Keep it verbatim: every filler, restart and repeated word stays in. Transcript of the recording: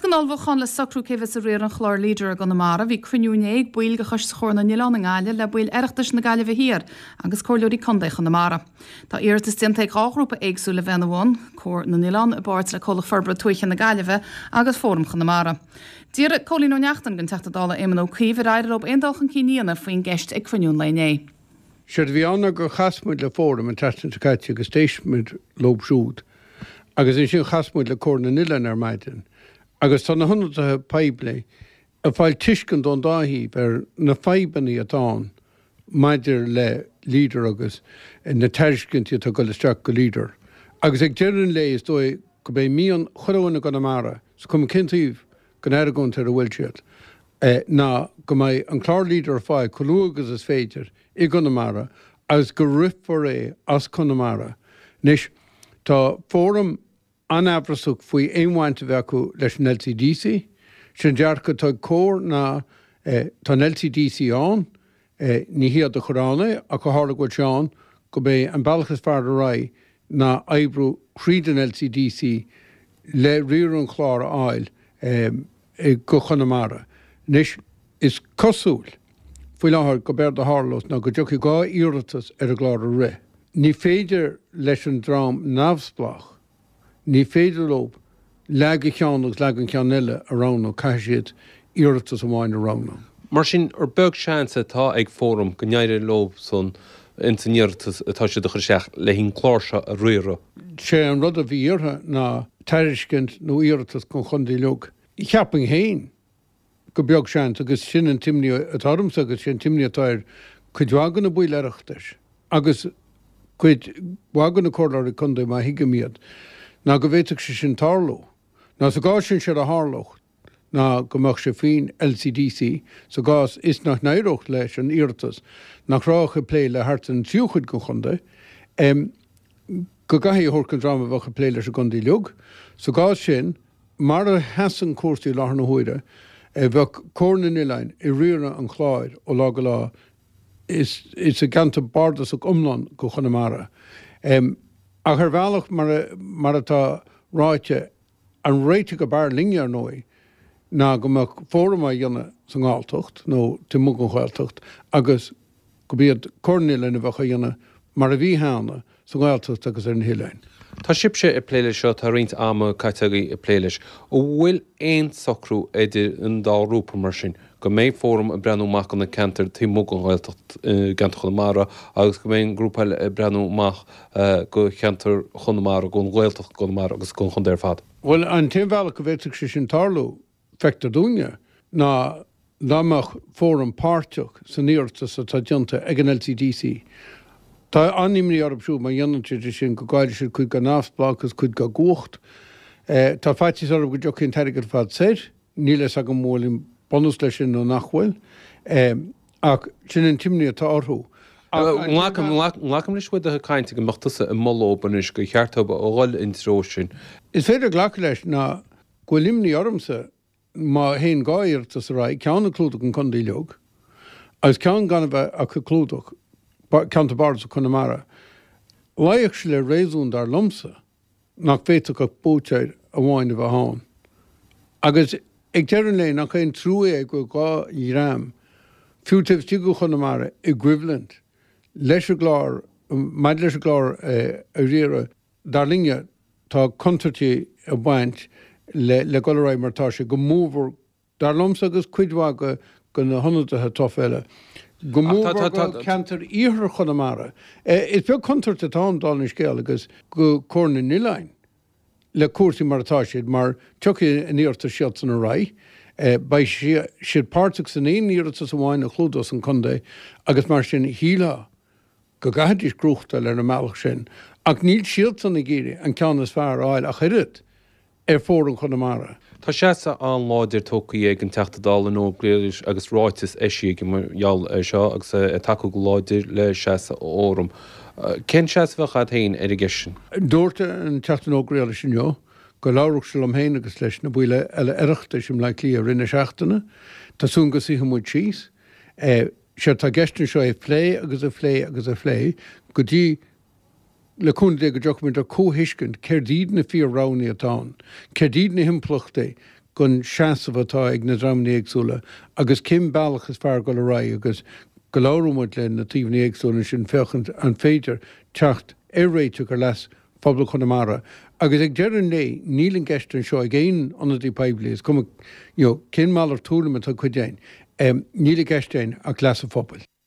an ullmhúchán le socrú cé bheas ag riar an chláir Leader i gConamara, bhí cruinniú inné ag baill de Choiste Chomhar na nOileán i nGaillimh le baill Oireachtais na Gaillimhe Thiar agus comhairleoirí contae Chonamara. Tá iarratas déanta ag dhá ghrúpa éagsúla bheith ina bhun, Comhar na nOileán i bpáirt le Comhlacht Forbartha Tuaithe na Gaillimhe agus Fóram Chonamara. D'iarr Cóilín Ó Neachtain den Teachta Dála Éamon Ó Cuív ar éirigh leo aon dul chun cinn a dhéanamh faoin gceist ag cruinniú an lae inné. Séard a bhí ann ná gur chas muid le Fóram an tseachtain seo caite agus d'éist muid leo siúd. Agus ansin chas muid le Comhar na nOileán ar maidin. Agus tá na hionadaithe poiblí ag fáil tuiscint ón dá thaobh ar na fadhbanna atá ann maidir le Leader agus na tairiscintí atá ag dul isteach go Leader. Agus ag deireadh an lae is dóigh go mbeidh mian chuile dhuine i gConamara, is cuma cén taobh den argóint ar a bhfuil siad, ná go mbeidh an clár Leader ar fáil chomh luath agus is féidir i gConamara agus go rithfear é as Conamara. Anois, tá Fóram an-amhrasach faoi aon bhaint a bheith acu leis an LCDC. Sé an dearcadh atá ag Comhar ná tá an LCDC ann, ní hiad a chuir ann é, ach ó tharla go bhfuil sé ann, go mbeidh an bealach is fearr ar aghaidh ná oibriú thríd an LCDC le riar an chláir a fháil go Chonamara. Anois, is cosúil faoi láthair go b'éard a tharlós ná go dtiocfaidh dhá iarratas ar an gclár a rith. Ní féidir leis an dream neamhspleách, ní féidir leo leath de cheann agus leath den cheann eile a roghnú, caithfidh siad iarratas amháin a roghnú. Mar sin, ar beag seans atá ag Fóram go n-éireoidh leo san ins an iarratas atá siad a chur isteach le an clár seo a riaradh? Sé an rud a bhí iarrtha ná tairiscint nó iarratas don chontae uilig. Cheapfainn féin gur beag seans, agus sin an t-imní atá ormsa agus sin an t-imní atá ar cuid mhaith de na baill Oireachtais agus cuid mhaith de na comhairleoirí contae, má thuigim iad, ná go bhféadfadh sé sin tarlú. Ná sa gcás sin séard a tharlódh ná go mbeadh sé faoin LCDC, sa gcás is nach n-éireodh leis an iarratas, nach raibh ach ag plé le thart ar an tríú cuid den chontae, go gcaithfí a thabhairt don dream a bheadh ag plé leis an gcontae uilig. Sa gcás sin, Mar a sheasann cúrsaí i láthair na huaire, bheadh Comhar na nOileán ag riaradh an chláir ó lá go lá sa gceantar bardasach iomlán de Chonamara. Ach ar bhealach, mar atá ráite, an réiteach ab fhearr linne, ar ndóigh, ná go mbeadh Fóram á dhéanamh sa nGalltacht nó taobh amuigh den Ghaeltacht agus go b'iad Comhar na nOileán a bheadh á dhéanamh mar a bhí cheana sa nGaeltacht agus ar na hoileáin. Tá sibhse ag plé leis seo, tá roinnt ama caite agaibh ag plé leis. An bhfuil aon socrú idir an dá ghrúpa mar sin, go mbeidh Fóram ag breathnú amach do na ceantair taobh amuigh den Ghaeltacht, i gceantar Chonamara, agus go mbeidh an grúpa eile ag breathnú amach do cheantar Chonamara, don Ghaeltacht i gConamara agus don chontae ar fad? Bhuel, an t-aon bhealach go bhféadfadh sé sin tarlú, feictear dúinne, ná dá mbeadh Fóram páirteach san iarratas atá déanta ag an LCDC. Tá an-imní orthu siúd má dhéanann siad é sin go gcaillfidh siad cuid dá neamhspleáchas, cuid dá gcumhacht. Tá faitíos orthu go dtiocfaidh an t-airgead ar fad soir. Níl a fhios agam an bhfuil aon bunús leis sin nó nach bhfuil. Ach sin an t-imní atá orthu. Glacaim leis uait do chuid cainte go mbeadh tusa ag moladh dóibh anois gur cheart dóibh a dhul in treo sin. Is féidir glacadh leis ná go bhfuil imní ormsa Má théann dhá iarratas ar aghaidh, ceann ag clúdach an chontae uilig agus ceann gan a bheith ach ag clúdach ceantar bardasach Chonamara, luífeadh sé le réasún, dar liomsa, nach bhféadfadh ach buaiteoir amháin a bheith ann. Agus ag deireadh an lae, nach é an trua é go bhfuil dhá dhream, fiú taobh istigh de Chonamara, i gcoimhlint leis an gclár, maidir leis an gclár a riaradh. Dar linne, tá contúirtí ag baint le le dul ar aghaidh mar atá sé, go mórmhór, dar liomsa agus cuid mhaith de na hionadaithe tofa eile, go mórmhór do cheantar iarthar Chonamara. Is beag contúirt atá ann, dála an scéil, agus do Chomhar na nOileán le cúrsaí mar atá siad, mar tiocfaidh a n-iarratas siadsan ar aghaidh, beidh siad páirteach san aon iarratas amháin a chlúdós an contae agus mar sin shílfeá go gcaithfidís gnóthachtáil ar an mbealach sin, ach níl siadsan ag iarraidh an ceann is fearr a fháil ach oiread ar Fóram Chonamara. Tá seasamh an-láidir tógtha ag an Teachta Dála Noel Grealish agus ráiteas eisithe aige mar gheall air seo agus é ag tacú go láidir le seasamh Fhóram. Cén seasamh a bheadh agat féin ar an gceist sin? Dúirt an Teachta Noel Grealish inniu go labhródh sé liom féin agus leis na baill eile Oireachtais i mBleá Cliath i rith na seachtaine. Tá súil go suífidh muid síos. Séard tá i gceist anseo é a phlé agus a phlé agus a phlé go dtí, le cúnamh Dé, go dtiocfaimid ar comhthuiscint céard iad na fíor-roghanna atá ann, céard iad na himpleachtaí gon seasamh atá ag na dreamanna éagsúla agus cén bealach is fearr dul ar aghaidh agus go labhróidh muid le na taobhanna éagsúla ansin féachaint an féidir teacht ar réiteach ar leas phobal Chonamara. Agus ag deireadh an lae níl i gceist anseo ag aon ionadaí poiblí, is cuma you know, cén malairt tuairim atá ag cuid againn, níl i gceist againn ach leas an phobail.